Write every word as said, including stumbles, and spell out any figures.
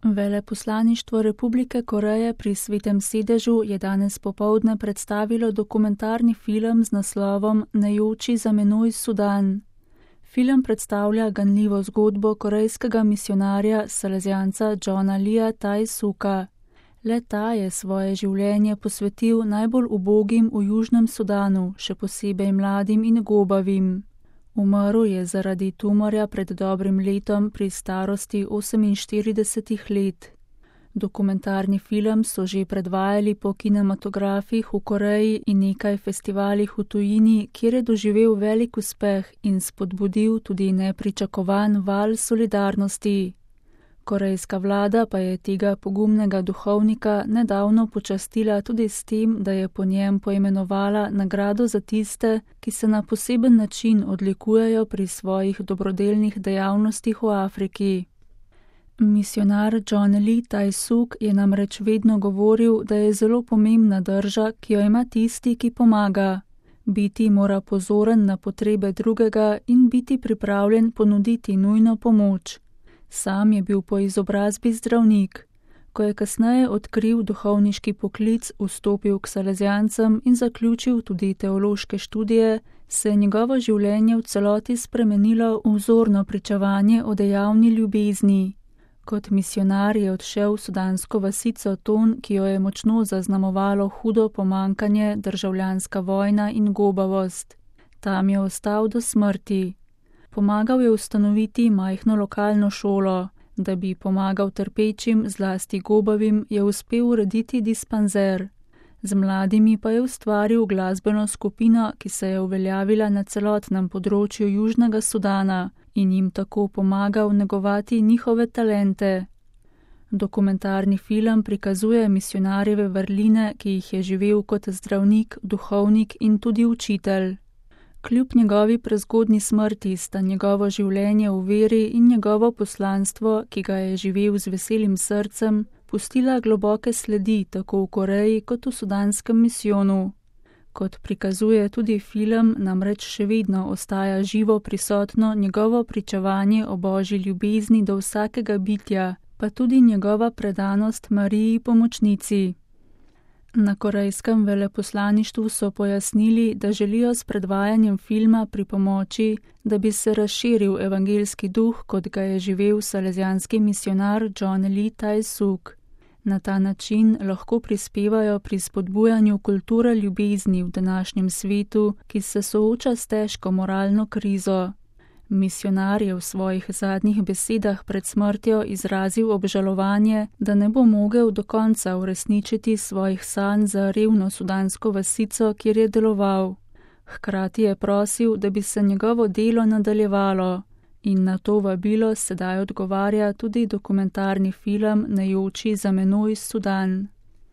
Veleposlaništvo Republike Koreje pri Svetem sedežu je danes popoldne predstavilo dokumentarni film z naslovom Ne joči za menoj Sudan. Film predstavlja ganljivo zgodbo korejskega misijonarja salezijanca Johna Leea Tai-Suka. Le ta je svoje življenje posvetil najbolj ubogim v Južnem Sudanu, še posebej mladim in gobavim. Umrl je zaradi tumorja pred dobrim letom pri starosti oseminštiridesetih let. Dokumentarni film so že predvajali po kinematografih v Koreji in nekaj festivalih v tujini, kjer je doživel velik uspeh in spodbudil tudi nepričakovan val solidarnosti. Korejska vlada pa je tega pogumnega duhovnika nedavno počastila tudi s tem, da je po njem poimenovala nagrado za tiste, ki se na poseben način odlikujejo pri svojih dobrodelnih dejavnostih v Afriki. Misijonar John Lee Tai-Suk je namreč vedno govoril, da je zelo pomembna drža, ki jo ima tisti, ki pomaga. Biti mora pozoren na potrebe drugega in biti pripravljen ponuditi nujno pomoč. Sam je bil po izobrazbi zdravnik. Ko je kasneje odkril duhovniški poklic, vstopil k salezijancem in zaključil tudi teološke študije, se je njegovo življenje v celoti spremenilo v vzorno pričevanje o dejavni ljubezni. Kot misijonar je odšel v sudansko vasico Ton, ki jo je močno zaznamovalo hudo pomankanje, državljanska vojna in gobavost. Tam je ostal do smrti. Pomagal je ustanoviti majhno lokalno šolo. Da bi pomagal trpečim, zlasti gobavim, je uspel urediti dispanzer. Z mladimi pa je ustvaril glasbeno skupino, ki se je uveljavila na celotnem področju Južnega Sudana in jim tako pomagal negovati njihove talente. Dokumentarni film prikazuje misijonarjeve vrline, ki jih je živel kot zdravnik, duhovnik in tudi učitelj. Kljub njegovi prezgodnji smrti sta njegovo življenje v veri in njegovo poslanstvo, ki ga je živel z veselim srcem, pustila globoke sledi tako v Koreji kot v sudanskem misijonu. Kot prikazuje tudi film, namreč še vedno ostaja živo prisotno njegovo pričevanje o božji ljubezni do vsakega bitja, pa tudi njegova predanost Mariji pomočnici. Na korejskem veleposlaništvu so pojasnili, da želijo s predvajanjem filma pripomoči, da bi se razširil evangeljski duh, kot ga je živel salezijanski misijonar John Lee Tai-Suk. Na ta način lahko prispevajo pri spodbujanju kulture ljubezni v današnjem svetu, ki se sooča s težko moralno krizo. Misijonar je v svojih zadnjih besedah pred smrtjo izrazil obžalovanje, da ne bo mogel do konca uresničiti svojih sanj za revno sudansko vasico, kjer je deloval. Hkrati je prosil, da bi se njegovo delo nadaljevalo. In na to vabilo sedaj odgovarja tudi dokumentarni film Ne joči za menoj Sudan.